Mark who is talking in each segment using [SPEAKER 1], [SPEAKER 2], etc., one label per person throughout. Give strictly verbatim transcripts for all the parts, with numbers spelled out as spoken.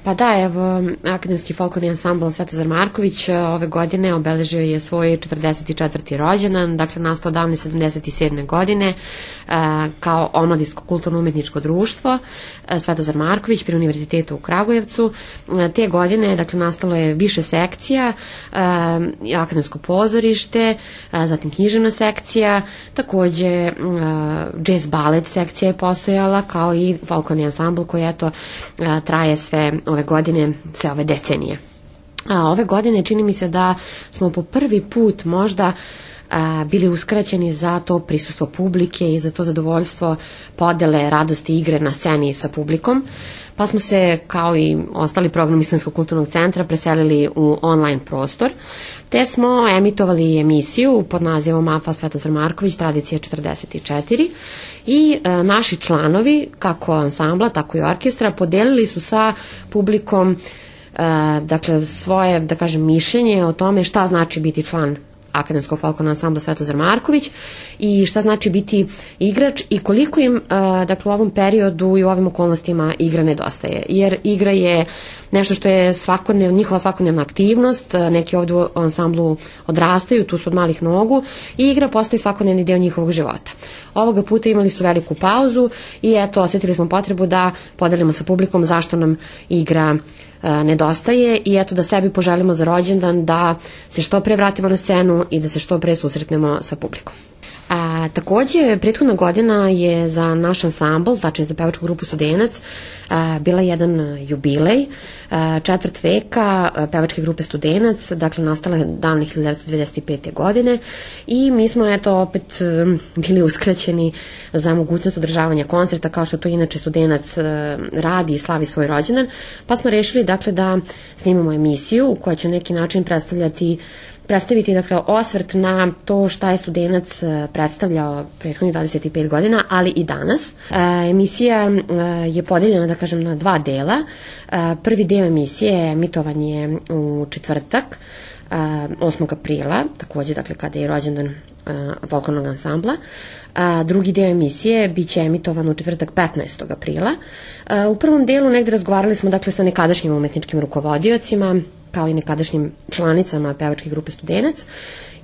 [SPEAKER 1] Pa da, evo, Akademski folklorni ansambl Svetozar Marković ove godine obeležio je svoj četrdeset četvrti rođendan, dakle nastao davne sedamdeset sedme godine kao omladinsko kulturno-umetničko društvo Svetozar Marković pri Univerzitetu u Kragujevcu. Te godine, dakle, nastalo je više sekcija, akademsko pozorište, zatim književna sekcija, takođe jazz balet sekcija je postojala, kao i folklorni ansambl koji, eto, traje sve ove godine, sve ove decenije. A ove godine čini mi se da smo po prvi put možda a, bili uskraćeni za to prisustvo publike i za to zadovoljstvo podele radosti igre na sceni sa publikom, pa smo se, kao i ostali programi Slovenskog kulturnog centra, preselili u online prostor, te smo emitovali emisiju pod nazivom A F A Svetozar Marković, tradicija četrdeset četiri, i e, naši članovi, kako ansambla, tako i orkestra, podelili su sa publikom e, dakle, svoje, da kažem, mišljenje o tome šta znači biti član Akademskog folklornog ansambla Svetozar Marković i šta znači biti igrač i koliko im, dakle, u ovom periodu i u ovim okolnostima igra nedostaje. Jer igra je nešto što je svakodnev, njihova svakodnevna aktivnost, neki ovdje u ansamblu odrastaju, tu su od malih nogu, i igra postaje svakodnevni deo njihovog života. Ovoga puta imali su veliku pauzu i eto, osjetili smo potrebu da podelimo sa publikom zašto nam igra nedostaje i eto da sebi poželimo za rođendan da se što pre vratimo na scenu i da se što pre susretnemo sa publikom. A, takođe, prethodna godina je za naš ansambl, tačnije za pevačku grupu Studenac, a, bila jedan jubilej, a, četvrt veka a, pevačke grupe Studenac, dakle nastala je davne hiljadu devetsto devedeset pete. godine i mi smo eto opet a, bili uskraćeni za mogućnost održavanja koncerta kao što to inače Studenac a, radi i slavi svoj rođendan, pa smo rešili dakle da snimamo emisiju koja će na neki način predstavljati predstaviti, dakle, osvrt na to šta je Studenac predstavljao prethodnih dvadeset pet godina, ali i danas. E, emisija e, je podeljena, da kažem, na dva dela. E, prvi deo emisije je emitovanje u četvrtak, e, osmog aprila, takođe, dakle, kada je rođendan e, folklornog ansambla. A, drugi deo emisije biće emitovan u četvrtak petnaestog aprila. E, u prvom delu negde razgovarali smo, dakle, sa nekadašnjim umetničkim rukovodiocima, kao i nekadašnjim članicama pevačke grupe Studenac,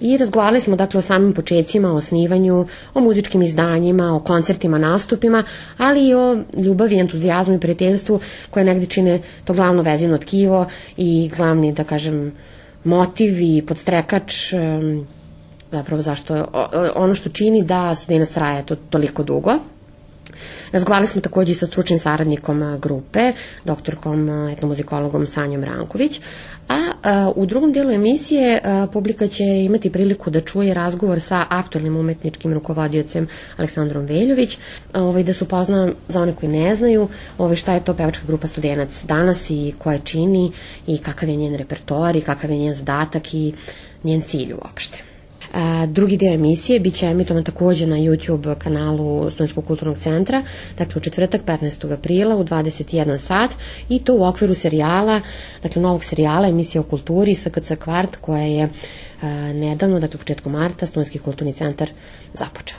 [SPEAKER 1] i razgovarali smo, dakle, o samim početcima, o osnivanju, o muzičkim izdanjima, o koncertima, nastupima, ali i o ljubavi, entuzijazmu i prijateljstvu koje negde čine to glavno vezivno tkivo i glavni, da kažem, motiv i podstrekač, zapravo zašto, ono što čini da Studenac traje to toliko dugo. Razgovarali smo takođe i sa stručnim saradnikom grupe, doktorkom etnomuzikologom Sanjom Ranković, a, a u drugom delu emisije a, publika će imati priliku da čuje razgovor sa aktualnim umetničkim rukovodiocem Aleksandrom Veljović, a, ovaj, da se upozna za one koji ne znaju ovaj, šta je to pevačka grupa Studenac danas i koje čini i kakav je njen repertoar i kakav je njen zadatak i njen cilj uopšte. A, drugi deo emisije biće emitovan takođe na YouTube kanalu Slovenskog kulturnog centra, dakle u četvrtak petnaestog aprila u dvadeset jedan sat, i to u okviru serijala, dakle novog serijala emisije o kulturi S K C Kvart, koja je a, nedavno, dakle u početku marta, Slovenski kulturni centar započeo.